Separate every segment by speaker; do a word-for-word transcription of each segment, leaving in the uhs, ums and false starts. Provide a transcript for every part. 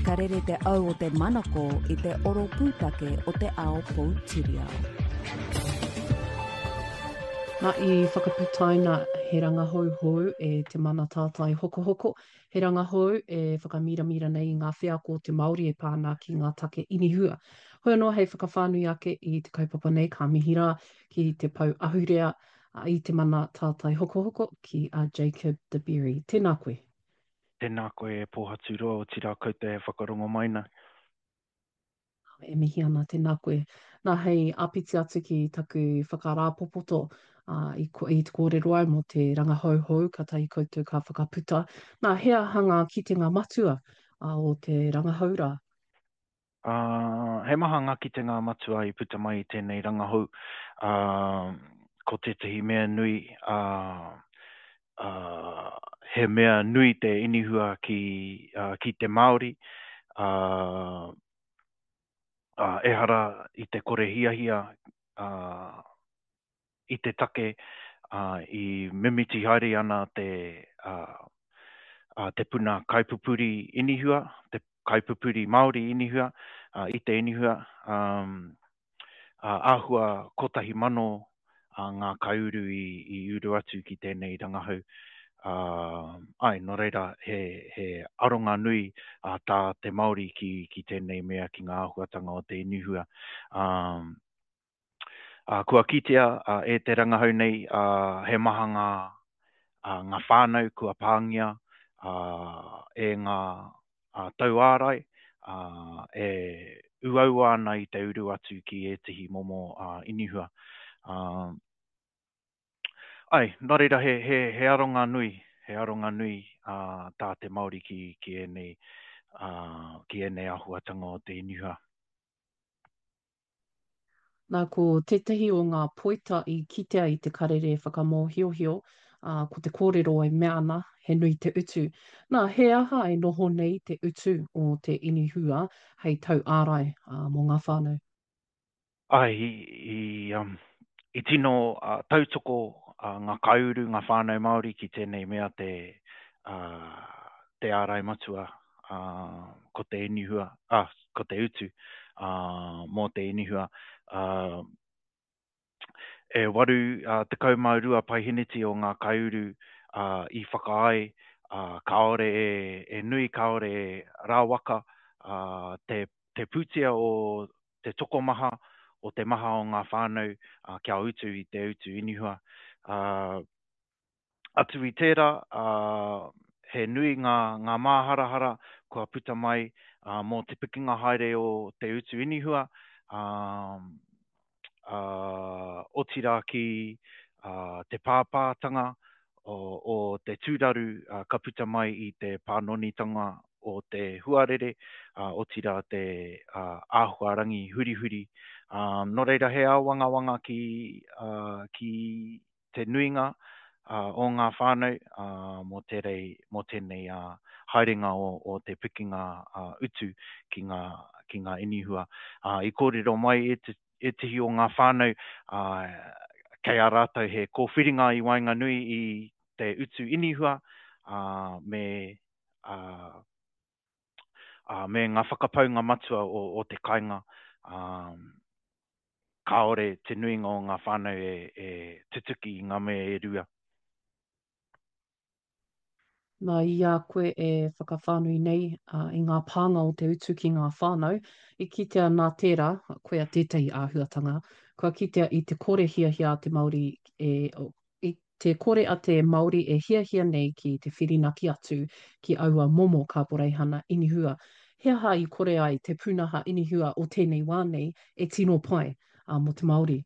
Speaker 1: Ka rere te au o te manako i te oro pūtake o te ao poutiriao.
Speaker 2: Nā, i whakaputaina he rangahau hou e Te Mana Tātai Hokohoko, he rangahou e whakamiramira nei i ngā wheako o te Māori e pā ana ki ngā take inihua. Hoi anō hei whakawhānui ake i te kaupapa nei ka mihi rā ki te pou ahurea i Te Mana Tātai Hokohoko ki a Jacob DeBerry. Tēnā koe.
Speaker 3: Tēnā koe e Pōhaturoa, otirā koutou e whakarongo mai nei.
Speaker 2: E mihi ana, tēnā koe. Nā, hei āpiti atu ki taku whakarāpopoto uh, i, i te kōrero ai mō te rangahau hou kātahi koutou ka whakaputa. Nā, he aha ngā kitenga matua uh, o te rangahau rā?
Speaker 3: Uh, he maha ngā kitenga matua i puta mai i tēnei rangahau. Uh, ko tētahi mea nui, uh, uh, he mea nui te inihua ki, uh, ki te Māori. Uh, uh, ehara i te kore hiahia uh, i te take uh, i mimiti haere ana te, uh, uh, te puna kaipupuri inihua, te kaipupuri Māori inihua, uh, i te inihua, um, uh, āhua kotahi mano uh, ngā kaiuru i, i uru atu ki tēnei rangahau. Uh, ai, nō reira, he, he aronga nui uh, tā te Māori ki, ki tēnei mea, ki ngā āhuatanga o te inihua. Um, uh, kua kitea uh, e te rangahau nei uh, he maha ngā, uh, ngā whānau kua pāngia uh, e ngā uh, tauārai, uh, e uaua ana i te uru atu ki ētehi momo uh, inihua. Uh, ai, nō reira he, he, he aronga nui, he aronga nui uh, tā te Māori ki, ki ēnei, uh, ki ēnei āhuatanga o te inihua.
Speaker 2: Nā, ko tētahi o ngā poita i kitea i te karere whakamōhiohio, uh, ko te kōrero e mea ana, he nui te utu. Nā, he aha e noho nei te utu o te inihua hei tau ārai uh, mō ngā whānau?
Speaker 3: Ai, i, i, um, i tino uh, tautoko uh, ngā kaiuru, ngā whānau Māori ki tēnei mea te, uh, te ārai matua, uh, ko te inihua, ah, ko te utu uh, mō te inihua. Uh, e waru uh, tekau mā rua paiheneti o ngā kaiuru uh, i whakaae, uh, kāore e, e nui, kāore e rāwaka uh, te, te pūtea o te tokomaha, o te maha o ngā whānau uh, kia utu i te utu inihua. Uh, atu i tērā, uh, he nui ngā, ngā māharahara kua puta mai uh, mō te pikinga haere o te utu inihua, um, uh, otirā ki uh, te pāpātanga o, o te tūraru uh, ka puta mai i te pānonitanga o te huarere, uh, otirā te uh, āhuarangi hurihuri. Um, nō reira he āwangawanga ki, uh, ki te nuinga uh, o ngā whānau uh, mō, tērei, mō tēnei uh, haerenga o, o te pikinga uh, utu ki ngā, ki ngā inihua. Uh, i kōrero mai e te, ētehi o ngā whānau uh, kei a rātou he kōwhiringa i waenganui i te utu inihua uh, me, uh, uh, me ngā whakapaunga matua o, o te kainga. Um, kāore te nuinga o ngā whānau e, e tutuki i ngā mea e rua.
Speaker 2: Nā, i a koe e whakawhānui nei uh, i ngā pānga o te utu ki ngā whānau, i kitea nā tērā, koia tētahi āhuatanga, kua kitea i te kore hiahia a te Māori e, i te kore a te Māori e hiahia nei ki te whirinaki atu ki aua momo kāporeihana inihua. He aha i kore ai te pūnaha inihua o tēnei wā nei e tino pai uh, mō te Māori?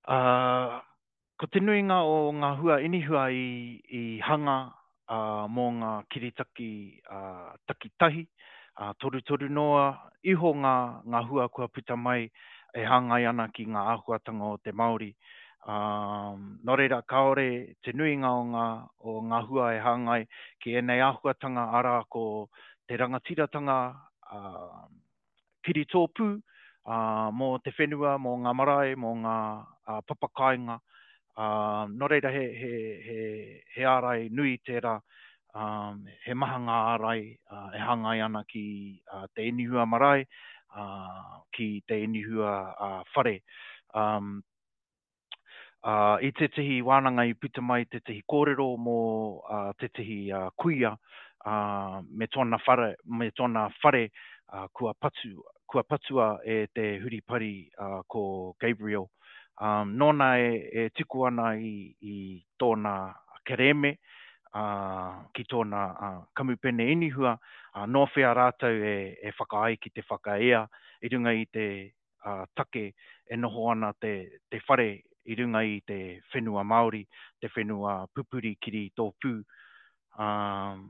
Speaker 3: Uh, ko te nuinga o ngā hua inihua i, i hanga uh, mō ngā kiritaki uh, takitahi, uh, torutoru noa iho ngā, ngā hua kua puta mai e hāngai ana ki ngā āhuatanga o te Māori. Um, nō reira, kāore te nuinga o ngā, o ngā hua e hāngai ki ēnei āhuatanga, arā ko te rangatiratanga uh, kiritōpū uh, mō te whenua, mō ngā marae, mō ngā uh, papakainga. Uh, nō reira, he, he, he, he ārai nui tērā Um, he maha ngā ārai uh, e hāngai ana ki uh, te inihua marae, uh, ki te inihua uh, whare. Um, uh, i tētehi wānanga i puta mai tētehi kōrero mō uh, tētehi uh, kuia uh, me tōna whare, me tōna whare uh, kua, patu, kua patua e te huripari uh, ko Gabriel. Um, nōna e, e tuku ana i, i tōna kerēme uh, ki tōna uh, kamupene inihua, uh, nō whea rātou e, e whakaai ki te whakaea i runga i te uh, take e noho ana te, te whare i runga i te whenua Māori, te whenua pupuri kiri tōpū. Um,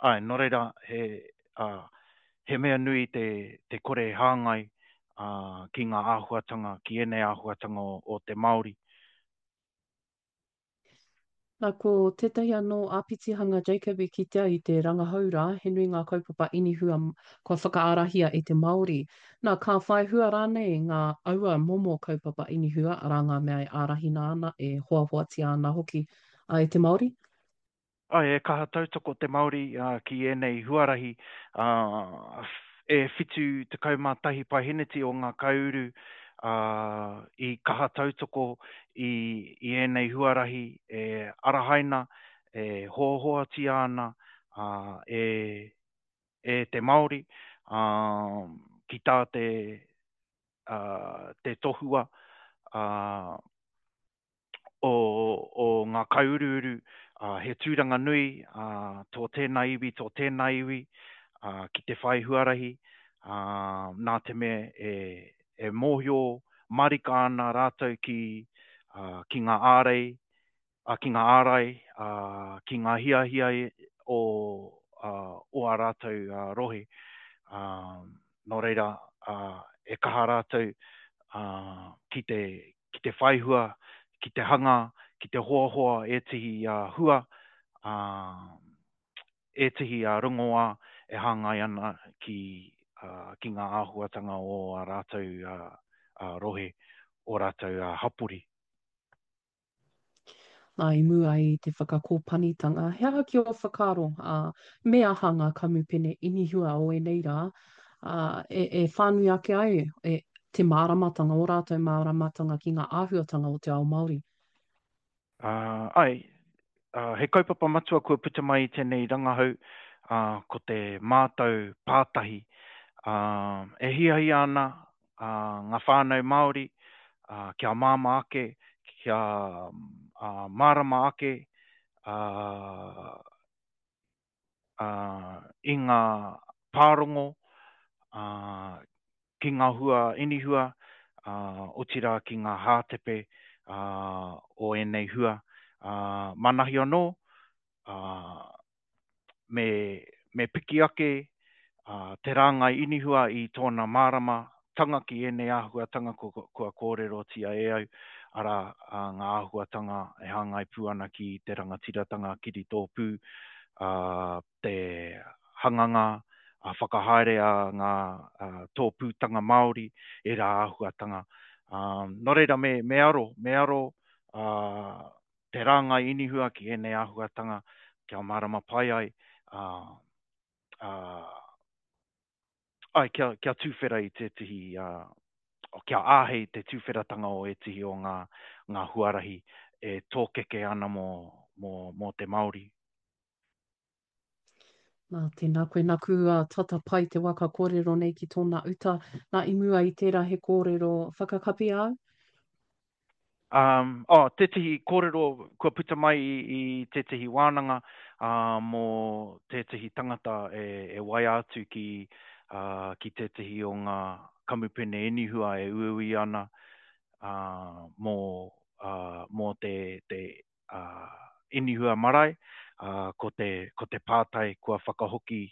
Speaker 3: ai, nō reira, he, uh, he mea nui te, te kore hāngai uh, ki ngā āhuatanga, ki ēnei āhuatanga o, o te Māori.
Speaker 2: Nā, ko tētahi anō āpitihanga Jacob i kitea i te rangahau rā, he nui ngā kaupapa inihua kua whakaarahia e te Māori. Nā, ka whai hua rānei ngā aua momo kaupapa inihua, arā ngā mea e ārahina ana, e hoahoatia ana hoki e te Māori?
Speaker 3: Ai, e kaha tautoko te Māori uh, ki ēnei huarahi. Uh, e whitu tekau mā tahi paeheneti o ngā kaiuru uh, i kaha tautoko i, i ēnei huarahi e arahaina, e hoahoatia ana uh, e, e te Māori uh, ki tā te, uh, te tohua uh, o, o ngā kaiuruuru, uh, he tūranga nui uh, tō tēnā iwi, tō tēnā iwi, uh, ki te whai huarahi, uh, nā te mea e, e mōhio marika ana rātou ki, uh, ki ngā ārei, uh, ki ngā ārai, uh, ki ngā hiahia o, uh, o a rātou uh, rohe. Uh, nō reira, uh, e kaha rātou uh, ki te, ki te whaihua, ki te hanga, ki te hoahoa ētehi uh, hua, uh, ētehi uh, rongoā e hāngai ana ki, uh, ki ngā āhuatanga o a rātou uh, uh, rohe, o rātou uh, hapori.
Speaker 2: Nā, i mua i te whakakōpanitanga, he aha ki ō whakaaro, uh, me aha ngā kamupene inihua o ēnei rā, uh, e, e whānui ake ai e, te māramatanga, o rātou māramatanga ki ngā āhuatanga o te ao Māori?
Speaker 3: Uh, ai, uh, he kaupapa matua kua puta mai i tēnei rangahau, uh, ko te mātau pātahi. Uh, e hiahia ana uh, ngā whānau Māori uh, kia māmā ake, kia uh, mārama ake uh, uh, i ngā pārongo, uh, ki ngā hua inihua, uh, otirā ki ngā hātepe uh, o ēnei hua. Uh, manahi anō, uh, me, me piki ake uh, te rāngai inihua i tōna mārama tanga ki ēnei āhuatanga kua, kua kōrerotia e au, arā uh, ngā āhuatanga e hāngai pū ana ki te rangatiratanga kiri tōpū, uh, te hanganga, a whakahaere a ngā uh, tōpūtanga Māori, e rā āhuatanga. Um, nō reira, me, me aro, me aro uh, te rāngai inihua ki ēnei āhuatanga kia mārama pai ai, uh, uh, ai, kia, kia tūwhera i tētehi, uh, kia āhei te tūwheratanga o ētehi o ngā, ngā huarahi e tōkeke ana mō, mō, mō te Māori.
Speaker 2: Nā, tēnā koe, naku uh, tata pai te waka kōrero nei ki tōna uta. Nā, i mua i tērā he kōrero whakakapi au?
Speaker 3: Um, oh, tētehi kōrero kua puta mai i, i tētehi wānanga uh, mō tētehi tangata e, e waia atu ki, uh, ki tētehi o ngā kamupene inihua e uiui ana uh, mō, uh, mō te, te uh, inihua marae, uh, ko, te, ko te pātai kua whakahoki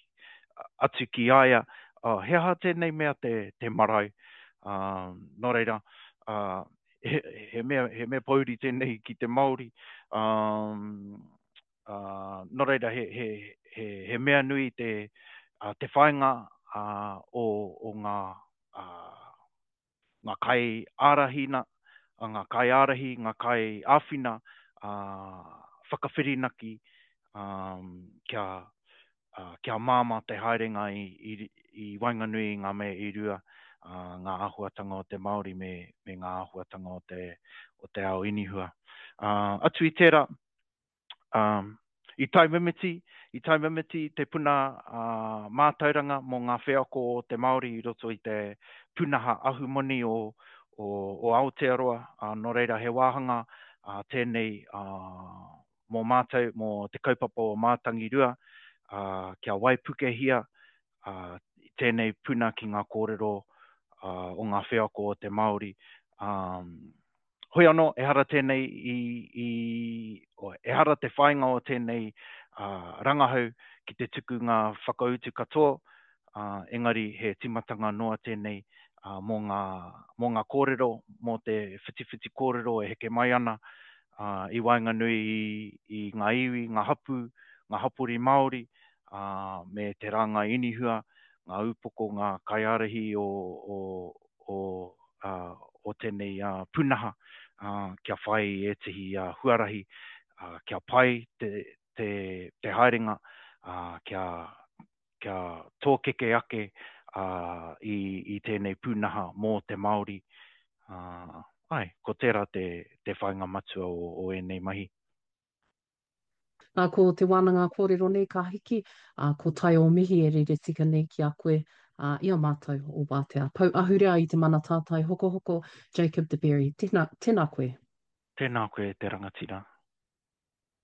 Speaker 3: atu ki aia, uh, he aha tēnei mea te, te marae. Uh, nō reira, uh, he, he, mea, he mea pouri tēnei ki te Māori. Um, uh, nō reira, he, he, he, he mea nui te, uh, te whāinga uh, o, o ngā, uh, ngā kai ārahina, ngā kai ārahi, ngā kai āwhina, uh, whakawhirinaki um, kia, uh, kia māmā te haerenga i, i, i waenganui i ngā mea e rua, uh, ngā āhuatanga o te Māori me, me ngā āhuatanga o te, o te ao inihua. Uh, atu i tērā, um, i taimimiti, i taimimiti te puna uh, mātauranga mō ngā wheako o te Māori i roto i te pūnaha ahumoni o, o, o Aotearoa, uh, nō reira he wāhanga uh, tēnei uh, mō mātou, mō te kaupapa o Mātangirua, uh, kia waipukehia uh, tēnei puna ki ngā kōrero uh, o ngā wheako o te Māori. Um, hoi anō, ehara tēnei i, i, o, ehara te whāinga o tēnei uh, rangahau ki te tuku ngā whakautu katoa, uh, engari he timatanga noa tēnei uh, mō ngā, mō ngā kōrero, mō te whitiwhiti kōrero e heke mai ana uh, i waenganui i, i ngā iwi, ngā hapū, ngā hapori Māori, uh, me te rāngai inihua, ngā upoko, ngā kaiārahi o, o, o, uh, o tēnei uh, pūnaha, uh, kia whai i ētehi uh, huarahi, uh, kia pai te, te, te haerenga, uh, kia, kia tōkeke ake uh, i, i tēnei pūnaha mō te Māori. Uh, ai, ko tērā te, te whāinga matua o, o ēnei mahi.
Speaker 2: Nā, ko te wānanga kōrero nei ka hiki, ā, ko tai o mihi e rere tika nei ki a koe, ā, i a mātou o Wātea. Pou ahurea i te mana tātai hokohoko, Jacob de Berry. Tēnā, tēnā koe.
Speaker 3: Tēnā koe te rangatira.